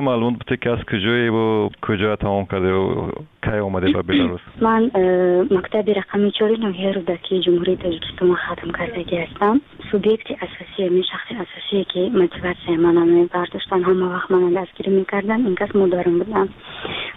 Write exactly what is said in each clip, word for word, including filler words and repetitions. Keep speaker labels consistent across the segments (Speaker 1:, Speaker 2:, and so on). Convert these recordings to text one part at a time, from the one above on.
Speaker 1: Маълумот буте, ки аз куҷоеву куҷоя тамом кардеву кай омаде ба Беларус?
Speaker 2: Ман э, мактаби рақами чори ноҳияи Рӯдакии Ҷумҳурии Тоҷикистонро хатм кардагӣ ҳастам. Субъекти асосӣ, ҳамин шахси асосие, ки мотиватсияи мана мебардоштанд, ҳама вақт мана дастгирӣ мекарданд, ин кас модарам буданд.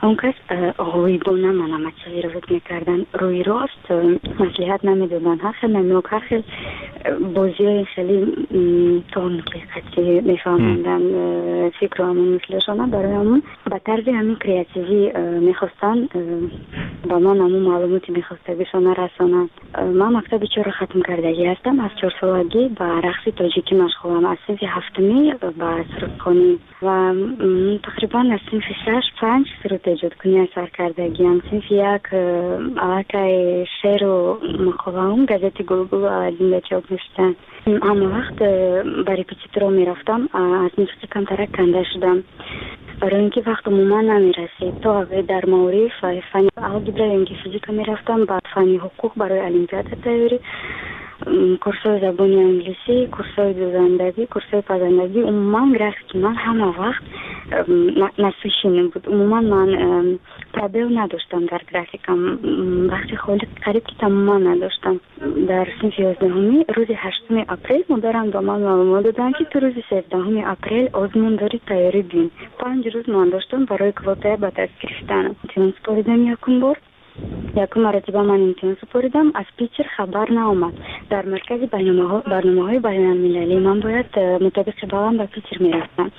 Speaker 2: Он кас э, ғоибона мана мотивировать мекарданд, рӯи рост э, маслиҳат намедоданд, ҳар хел намёк, ҳар хел бозиҳои хеле тонкий қатъи мефаҳмонданд фикру ҳамон мислашона. Барои ҳамон ба тарзи ҳамин креативӣ мехостанд ба ман ҳамон маълумоти мехостагишона расонанд. Ман мактаби чорро хатм кардагӣ ҳастам. Аз чорсолагӣ ба рақси тоҷикӣ машғулам, аз синфи ҳафтумӣ ба сурудхонӣ ва тақрибан аз синфи шаш, панҷ суруд эҷодкунӣ сар кардагиам. Синфи як аллакай шеъру мақолаам газети Гулгулу Аладдинда чоп мешуданд. Ҳама вақт ба репетиторо мерафтам. Аз мусиқӣ камтарак канда шудам, барои ин ки вақт умуман намерасид. То дар маориф фани алгебра ё ин ки физика мерафтам, баъд фани ҳуқуқ барои олимпиада тайёрӣ, курсҳои забони англисӣ, курсҳои дӯзандагӣ, курсҳои пазандагӣ. Умуман графики ман ҳама вақт насыщенный буд. Умуман ман пробел надоштам дар графикам, вақти холӣ қариб ки тамоман надоштам. Дар синфи ёздаҳумӣ рӯзи ҳаштуми апрел модарам ба ман маълумот доданд, ки ту рӯзи севдаҳуми апрел озмун дорӣ, тайёрӣ бин. Панҷ рӯз ман доштам барои квотая ба даст гирифтан. Имтиҳон супоридам. Якум бор, якум маротиба ман имтиҳон супоридам, аз Питер хабар наомад. Дар маркази барномаҳои байналмилалӣ ман бояд э, мутобиқи балам ба Питер мерафтам.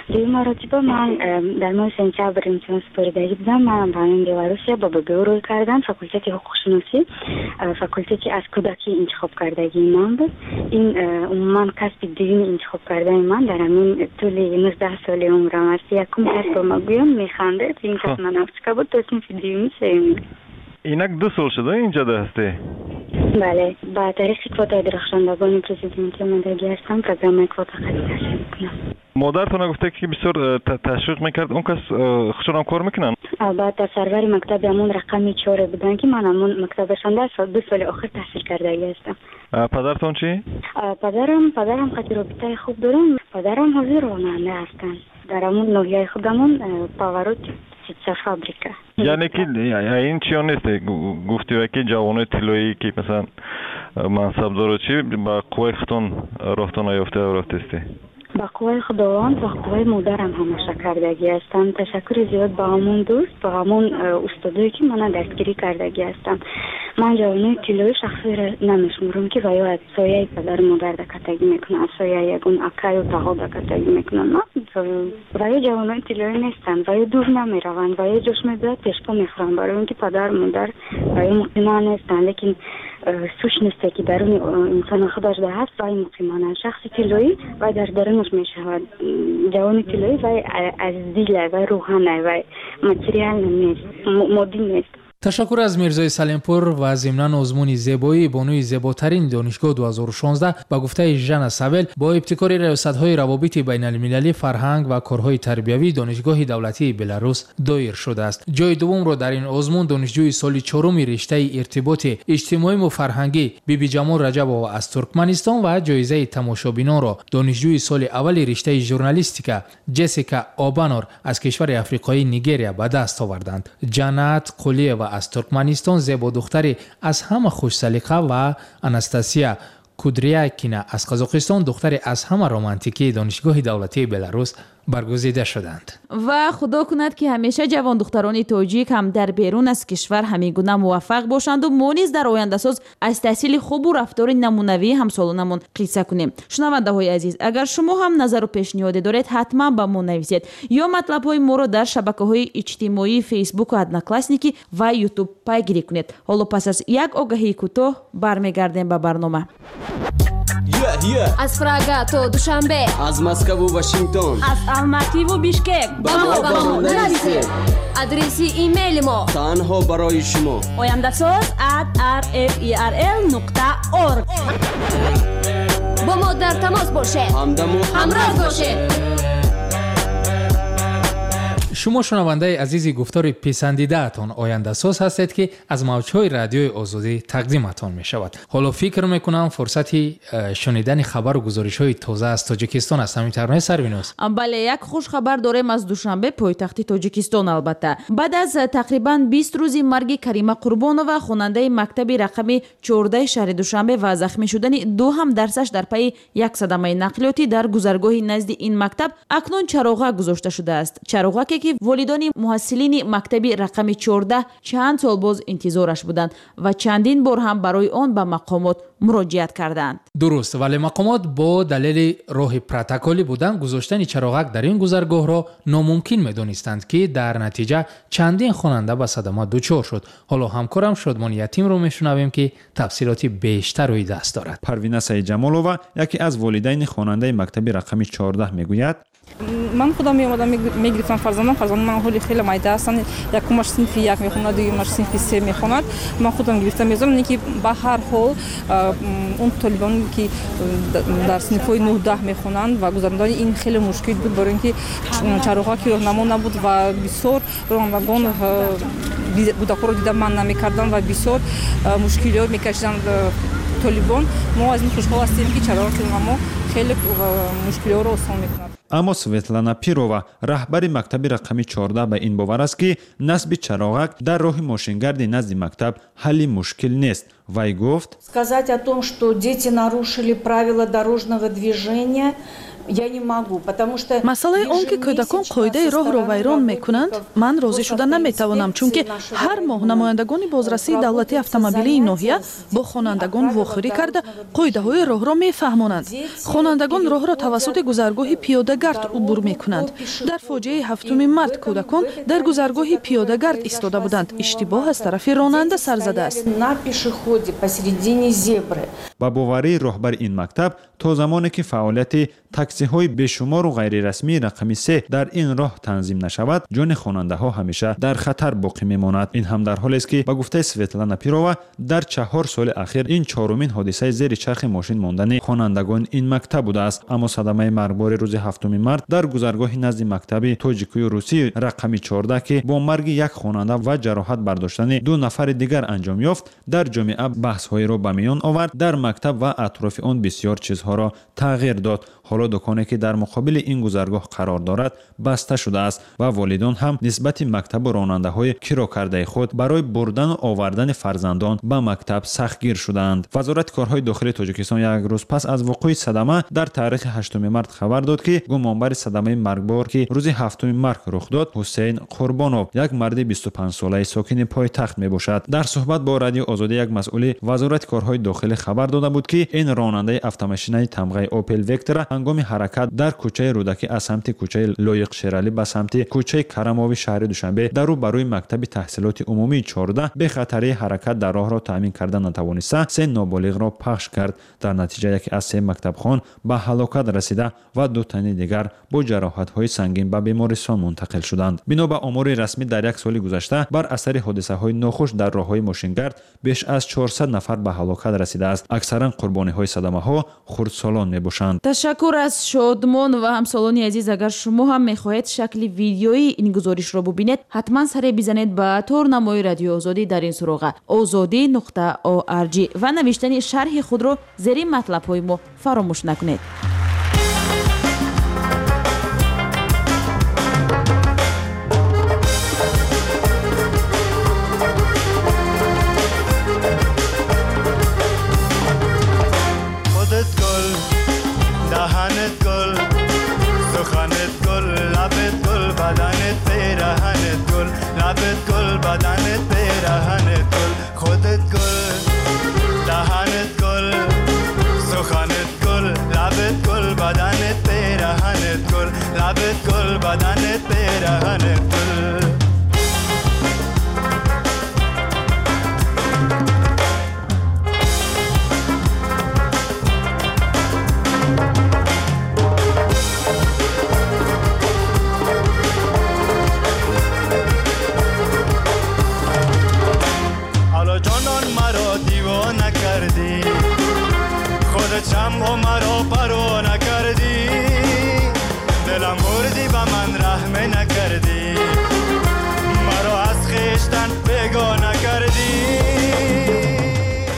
Speaker 2: Дуюм маротиба ман э, дар моҳи сентябр имтиҳон супоридагӣ будам. Ман ба ҳамин Беларусия ба Б Г У рӯй кардам, факултети ҳуқуқшиносӣ, э, факултети аз кӯдакӣ интихоб кардагии ман буд. Ин умуман касби дуюми интихоб кардани ман дар ҳамин тӯли нуздаҳ соли умрам аст. Якум касбо магӯям, механдед, ин космонавтика буд то синфи дуюми, сеюми.
Speaker 1: Инак ду сол шуда инҷода ҳастӣ?
Speaker 2: Бале, ба тариқи квотаи дурахшондагони президентӣ омадагӣ ҳастам. Программаи квота қати таҳсил мекунам.
Speaker 1: Модаратона гуфта, ки бисёр э, ташвиқ мекард. Он кас э, худшонам кор мекунанд?
Speaker 2: Албатта, сарвари мактаби ҳамон рақами чоре буданд, ки ман ҳамон мактабашонда ду соли охир таҳсил кардагӣ ҳастам.
Speaker 1: Падаратон чӣ?
Speaker 2: Падарам падарам қати робитаи хуб дорам. Падарам ҳозир ронанда ҳастанд дар ҳамон ноҳияи худамон, э, повороти птицефабрика.
Speaker 1: Яъне ки ин чиё нест, гуфтива, ки ҷавонои тиллоӣ, ки масалан мансабдоро чӣ, ба қувваи худтон роҳтон наёфта рафтестӣ?
Speaker 2: Ба қувваи Худованд ва қувваи модарам ҳамаша кардагӣ ҳастам. Ташаккури зиёд ба ҳамон дӯст, ба ҳамон э, устодое, ки мана дастгирӣ кардагӣ ҳастам. Ман ҷавонои тиллоӣ шахсиро намешуморам, ки ва ё аз сояи падару модар дакатагӣ мекунанд, аз сояи ягон акаю таҳо дакатагӣ мекунанд. Ва ё ҷавонои тиллоӣ нестанд, ва ё дур намераванд, ва ё ҷош мебиёд, пешпо мехӯранд, барои он ки падару модар ва ё муқима нестанд. Лекин э, сущности, ки даруни э, инсона худаш да ҳаст, вай муқимана. Шахси тиллоӣ вай дар дарунаш мешавад. Ҷавони тиллоӣ вай аз дила, вай рӯҳана, вай материально нест, моддӣ нест.
Speaker 3: Ташаккур аз Мирзои Салимпур. Ва зимнан озмуни зебоӣ «Бонуи зеботарин донишгоҳ ду ҳазору шонздаҳ» ба гуфтаи Жана Савел бо ибтикори раёсатҳои равобити байналмилалӣ, фарҳанг ва корҳои тарбиявии Донишгоҳи давлатии Беларус доир шудааст. Ҷои дуввумро дар ин озмун донишҷӯи соли чоруми риштаи иртиботи иҷтимоиму фарҳангӣ Бибиҷамол Раҷабова аз Туркманистон ва ҷоизаи тамошобинонро донишҷӯи соли аввали риштаи журналистика Ҷессика Обанор аз кишвари африқоии Нигерия ба даст оварданд. Ҷаннат Қулиева аз Туркманистон зебодухтари аз ҳама хушсалиқа ва Анастасия Кудрякина аз Қазоқистон духтари аз ҳама романтикии Донишгоҳи давлатии Беларус баргузида шуданд.
Speaker 4: Ва худо кунад, ки ҳамеша ҷавондухтарони тоҷик ҳам дар берун аз кишвар ҳамин гуна муваффақ бошанду мо низ дар ояндасоз аз таҳсили хубу рафтори намунавии ҳамсолонамон қисса кунем. Шунавандаҳои азиз, агар шумо ҳам назару пешниҳоде доред, ҳатман ба мо нависед ё матлабҳои моро дар шабакаҳои иҷтимоии Фейсбуку Одноклассники ва Ютуб пайгирӣ кунед. Ҳоло пас аз як огаҳии кӯтоҳ бармегардем ба барнома.
Speaker 5: Аз Прага то Душанбе,
Speaker 6: аз Москаву Вашингтон,
Speaker 7: аз Алмативу Бишкек.
Speaker 6: Ба мо ба мо нависед.
Speaker 5: Адреси имейли мо
Speaker 6: танҳо барои шумо:
Speaker 7: ояндасоз at rferl нуқта org.
Speaker 5: Бо мо дар тамос бошед.
Speaker 6: Ҳамдаму
Speaker 5: ҳамроз бошед.
Speaker 3: Шумо шунавандаи азизи гуфтори писандидаатон ояндасоз ҳастед, ки аз мавҷҳои радиои Озодӣ тақдиматон мешавад. Ҳоло фикр мекунам фурсати шунидани хабару гузоришҳои тоза аз Тоҷикистон аст. Ҳамин тавр нест, Сарвиноз?
Speaker 4: Бале, як хушхабар дорем аз Душанбе, пойтахти Тоҷикистон. Албатта, баъд аз тақрибан бист рӯзи марги Карима Қурбонова, хонандаи мактаби рақами чордаҳи шаҳри Душанбе, ва захмӣ шудани ду ҳамдарсаш дар пайи як садамаи нақлиётӣ дар гузаргоҳи назди ин мактаб, акнун чароғак гузошта шудааст. Чароғаке ки волидони муҳассилини мактаби рақами чордаҳ чанд сол боз интизораш буданд ва чандин бор ҳам барои он ба мақомот муроҷиат карданд.
Speaker 3: Дуруст, вале мақомот бо далели роҳи протоколӣ будан гузоштани чароғак дар ин гузаргоҳро номумкин медонистанд, ки дар натиҷа чандин хонанда ба садама дучор шуд. Ҳоло ҳамкорам Шодмон Ятимро мешунавем, ки тафсилоти бештар рӯи даст дорад.
Speaker 8: Парвина Саидҷамолова, яке аз волидайни хонандаи мактаби рақами чордаҳ, мегӯяд:
Speaker 9: Ман худам меомадам, мегирифтам фарзандам. Фарзандам ман ҳоли хеле майда ҳастанд. Якумаш синфи як мехонад, дуюмаш синфи се мехонад. Ман худам гирифта мезонам, не ки ба ҳар ҳол он толибон, ки дар синфҳои нӯҳ даҳ мехонанд, ва гузарондани ин хеле мушкил буд, барои ин ки чароғҳо ки роҳнамо набуд ва бисёр ронандагон кӯдакҳоро дида ман намекарданд ва бисёр мушкилиҳо мекашиданд толибон. Мо аз ин хушҳол ҳастем, ки чароғи роҳнамо хеле мушкилиҳоро осон мекунад.
Speaker 8: Аммо Светлана Пирова, раҳбари мактаби рақами чордаҳ, ба ин бовар аст, ки насби чароғак дар роҳи мошингарди назди мактаб ҳалли мушкил нест. Вай гуфт:
Speaker 10: Сказать о том, что дети нарушили правила дорожного движения, я не могу, потому что
Speaker 11: масъалаи он ки кӯдакон қоидаи роҳро вайрон мекунанд, ман розӣ шуда наметавонам, чунки ҳар моҳ намояндагони бозрасии давлатии автомобилии ноҳия бо хонандагон вохӯрӣ карда қоидаҳои роҳро мефаҳмонанд. Хонандагон роҳро тавассути гузаргоҳи пиёдагард убур мекунанд. Дар фоҷиаи ҳафтуми март кӯдакон дар гузаргоҳи пиёдагард истода буданд. Иштибоҳ аз тарафи ронанда сар задааст.
Speaker 10: На пешеходе посередине зебры.
Speaker 8: Ба боварии роҳбари ин мактаб, то замоне ки фаъолияти таксиҳои бешумору ғайрирасмии рақами се дар ин роҳ танзим нашавад, ҷони хонандаҳо ҳамеша дар хатар боқӣ мемонад. Ин ҳам дар ҳолест, ки ба гуфтаи Светлана Пирова, дар чаҳор соли ахир ин чорумин ҳодисаи зери чархи мошин мондани хонандагони ин мактаб будааст. Аммо садамаи маргбори рӯзи ҳафтуми март дар гузаргоҳи назди мактаби тоҷикию русӣ рақами чордаҳ, ки бо марги як хонанда ва ҷароҳат бардоштани ду нафари дигар анҷом ёфт, дар ҷомеа баҳсҳоеро ба миён овард, дар мактаб ва атрофи он бисёр чизҳоро тағйир дод. Ҳоло дуконе ки дар муқобили ин гузаргоҳ қарор дорад баста шудааст ва волидон ҳам нисбати мактабу ронандаҳои киро кардаи худ барои бурдану овардани фарзандон ба мактаб сахтгир шудаанд. Вазорати корҳои дохилии Тоҷикистон як рӯз пас аз вуқӯи садама дар таърихи ҳаштуми март хабар дод, ки гумонбари садамаи маргбор, ки рӯзи ҳафтуми март рух дод, Ҳусейн Қурбонов, як марди бисту панҷсолаи сокини пойтахт мебошад. Дар суҳбат бо радиои Озодӣ як масъули вазорати корҳои дохилӣ хабар дода буд, ки ин ронандаи автомошинаи тамғаи Опел Вектора ҳангоми ҳаракат дар кӯчаи Рӯдакӣ аз самти кӯчаи Лоиқ Шералӣ ба самти кӯчаи Карамови шаҳри Душанбе дар рӯ ба рӯи мактаби таҳсилоти умумии чордаҳ бехатарии ҳаракат дар роҳро таъмин карда натавониста, се ноболиғро пахш кард. Дар натиҷа яке аз се мактабхон ба ҳалокат расида ва ду тани дигар бо ҷароҳатҳои сангин ба бемористон мунтақил шуданд. Бино ба омори расмӣ, дар як соли гузашта бар асари ҳодисаҳои нохуш дар роҳҳои мошингард беш аз чорсад нафар ба ҳалокат расидааст. Аксаран қурбониҳои садамаҳо хурдсолон мебошанд.
Speaker 4: Ташаккур аз Шодмон ва ҳамсолони азиз. Агар шумо ҳам мехоҳед шакли видеои ин гузоришро бубинед, ҳатман саре бизанед ба торнамои радиои Озодӣ дар ин суроға озодӣ нуқта орг ва навиштани шарҳи худро зери матлабҳои мо фаромӯш накунед.
Speaker 12: شمع مرا پروا نکردی، دلم بردی به من رحم نکردی.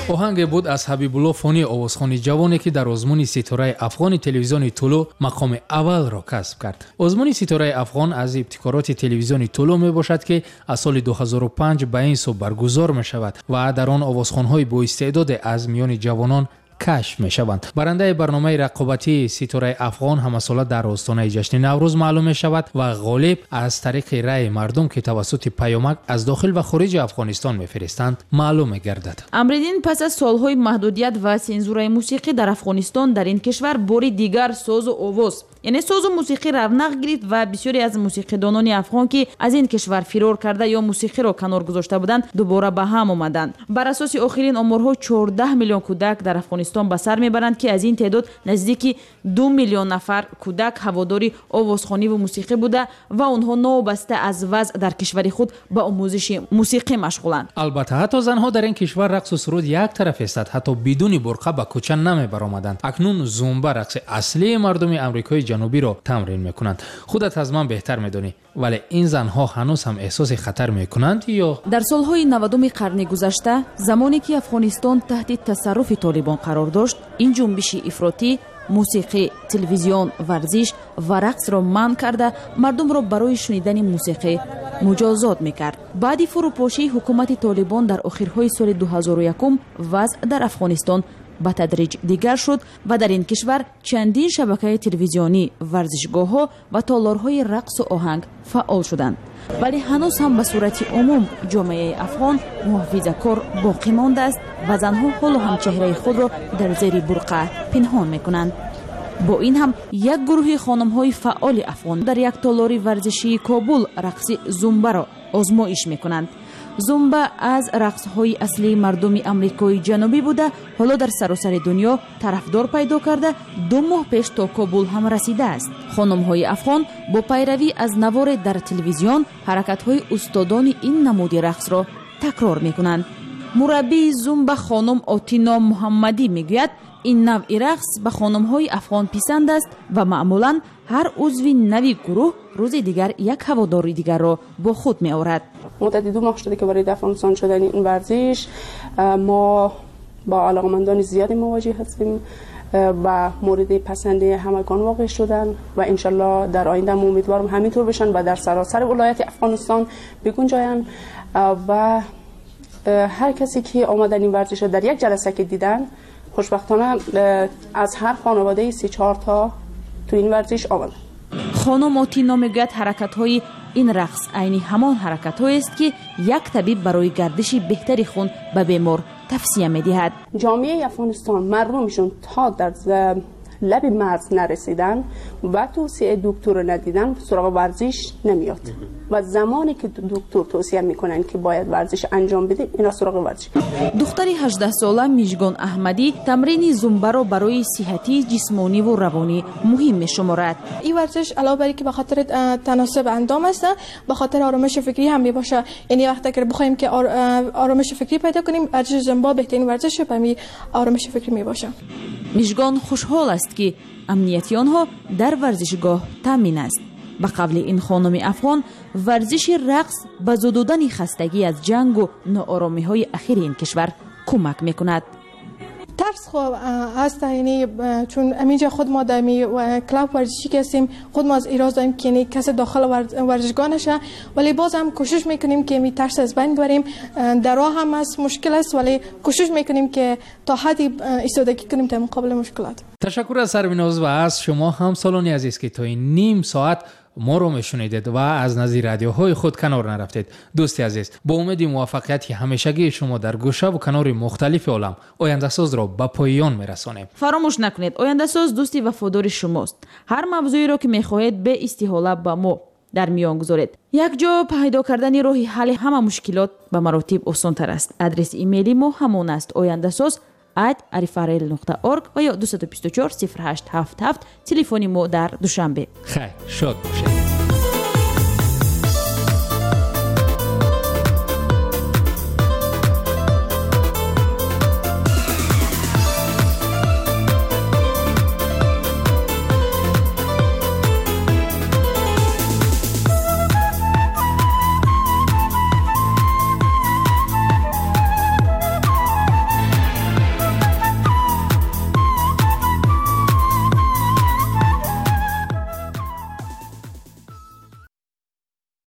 Speaker 3: Оҳанге буд аз Ҳабибулло Фонӣ, овозхони ҷавоне, ки дар озмуни Ситораи Афғони телевизиони Тулу мақоми аввалро касб кард. Озмуни Ситораи Афғон аз ибтикороти телевизиони Тулу мебошад, ки аз соли ду ҳазору панҷ ба ин сӯ баргузор мешавад ва дар он овозхонҳои боистеъдоде аз миёни ҷавонон кашф мешаванд. Барандаи барномаи рақобатии Ситораи Афғон ҳамасола дар остонаи ҷашни Наврӯз маълум мешавад ва ғолиб аз тариқи раъи мардум, ки тавассути паёмак аз дохил ва хориҷи Афғонистон мефиристанд, маълум мегардад.
Speaker 4: Амриддин, пас аз солҳои маҳдудият ва сензураи мусиқӣ дар Афғонистон, дар ин кишвар бори дигар созу овоз, яъне созу мусиқӣ равнақ гирифт ва бисёре аз мусиқидонони афғон, ки аз ин кишвар фирор карда ё мусиқиро канор гузошта буданд, дубора ба ҳам омаданд. Бар асоси охирин оморҳо, чордаҳ миллион кӯдак дар Афғонистон ба сар мебаранд, ки аз ин теъдод наздики ду миллион нафар кӯдак ҳаводори овозхониву мусиқӣ буда ва онҳо новобаста аз вазъ дар кишвари худ ба омӯзиши мусиқӣ машғуланд.
Speaker 3: Албатта, ҳатто занҳо дар ин кишвар рақсу суруд як тараф истад, ҳатто бидуни бурқа ба кӯча намебаромаданд. Акнун зумба, рақси аслии мардуми Амрикои ҷанубиро тамрин мекунанд. Худат аз ман беҳтар медонӣ, вале ин занҳо ҳанӯз ҳам эҳсоси хатар мекунанд ё?
Speaker 4: Дар солҳои навадуми қарни гузашта, замоне ки Афғонистон таҳти тасарруфи толибон қарор дошт, ин ҷунбиши ифротӣ мусиқӣ, телевизион, варзиш ва рақсро манъ карда, мардумро барои шунидани мусиқӣ муҷозот мекард. Баъди фурӯпошии ҳукумати толибон дар охирҳои соли ду ҳазору якум вазъ дар Афғонистон ба тадриҷ дигар шуд ва дар ин кишвар чандин шабакаи телевизионӣ, варзишгоҳҳо ва толорҳои рақсу оҳанг фаъол шуданд. Вале ҳанӯз ҳам ба сурати умум ҷомеаи афғон муҳофизакор боқӣ мондааст ва занҳо ҳоло ҳам чеҳраи худро дар зери бурқа пинҳон мекунанд. Бо ин ҳам як гурӯҳи хонумҳои фаъоли афғон дар як толори варзишии Кобул рақси зумбаро озмоиш мекунанд. Зумба аз рақсҳои аслии мардуми Амрикои ҷанубӣ буда, ҳоло дар саросари дунё тарафдор пайдо карда, ду моҳ пеш то Кобул ҳам расидааст. Хонумҳои афғон бо пайравӣ аз наворе дар телевизион ҳаракатҳои устодони ин намуди рақсро такрор мекунанд. Мураббии зумба хонум Отино Муҳаммадӣ мегӯяд, ин навъи рақс ба хонумҳои афғон писанд аст ва маъмулан ҳар узви нави гурӯҳ рӯзи дигар як ҳаводори дигарро бо худ меорад.
Speaker 13: муддати ду моҳ шуда ки варид Афғонистон шудани ин варзиш, мо با علاقمندان زیادی مواجه هستیم و مورد پسند همگان واقع شدن و انشالله در آینده امیدوارم همینطور بشن و در سراسر ولایت افغانستان بگنجاین و هر کسی که آمدن این ورزش را در یک جلسه که دیدن، خوشبختانه از هر خانواده سه چهار تا تو این ورزش آمدن.
Speaker 4: خانم آتینا میگوید حرکت‌های این رقص عینی همان حرکت‌هایی است که یک طبیب برای گردش بهتری خون به بیمار توصیه می‌دهد.
Speaker 13: جامعه افغانستان مردمشون تا در لب مرز نرسیدن و توصیه دکتر رو ندیدن سراغ ورزش نمیاد و زمانی که دکتر توصیه میکنن که باید ورزش انجام بده، اینا سراغ ورزش.
Speaker 4: دختر هجده ساله میژگان احمدی تمرین زومبا را برای صحتی جسمانی و روانی مهم میشمارد.
Speaker 14: این ورزش علاوه بر اینکه به خاطر تناسب اندام است، به خاطر آرامش فکری هم میباشه. یعنی وقتی که بخوایم که آرامش فکری پیدا کنیم، ورزش زومبا بهترین ورزش برای آرامش فکری میباشه.
Speaker 4: میژگان خوشحال است که امنیت آنها در ورزشگاه تامین است. به قول این خانم افغان، ورزش رقص به زدودن خستگی از جنگ و ناآرامی‌های اخیر این کشور کمک می‌کند.
Speaker 14: ترس خو هست، یعنی چون همینجا خود ما در می کلاب ورزشی که هستیم، خود ما از ایراز داریم که یعنی کسی داخل ورزشگاه نشه، ولی باز هم کوشش میکنیم که می ترس از بین ببریم. در راه هم از مشکل است، ولی کوشش میکنیم که تا حدی ایستادگی کنیم در مقابل مشکلات.
Speaker 3: تشکر از سربیناز و از شما همسالان عزیز که تا این نیم ساعت ما رو میشنیدید و از نزد رادیوهای خود کنار نرفتید. دوستی عزیز، با امید موفقیت همیشگی شما در گوشه و کنار مختلف عالم، آینده ساز را به پایان میرسانیم.
Speaker 4: فراموش نکنید، آینده ساز دوستی وفادار شماست. هر موضوعی را که میخواهید به استحاله با ما در میان گذارید. یک جا پیدا کردن راه حل همه مشکلات به مراتب آسان‌تر است. آدرس ایمیلی ما همان است: آینده ساز ات آریفارل نقطه اورگ و یا دو بیست و چهار صفر هشت هفت هفت تلفن ما در دوشنبه.
Speaker 3: خیر، شاد باشید.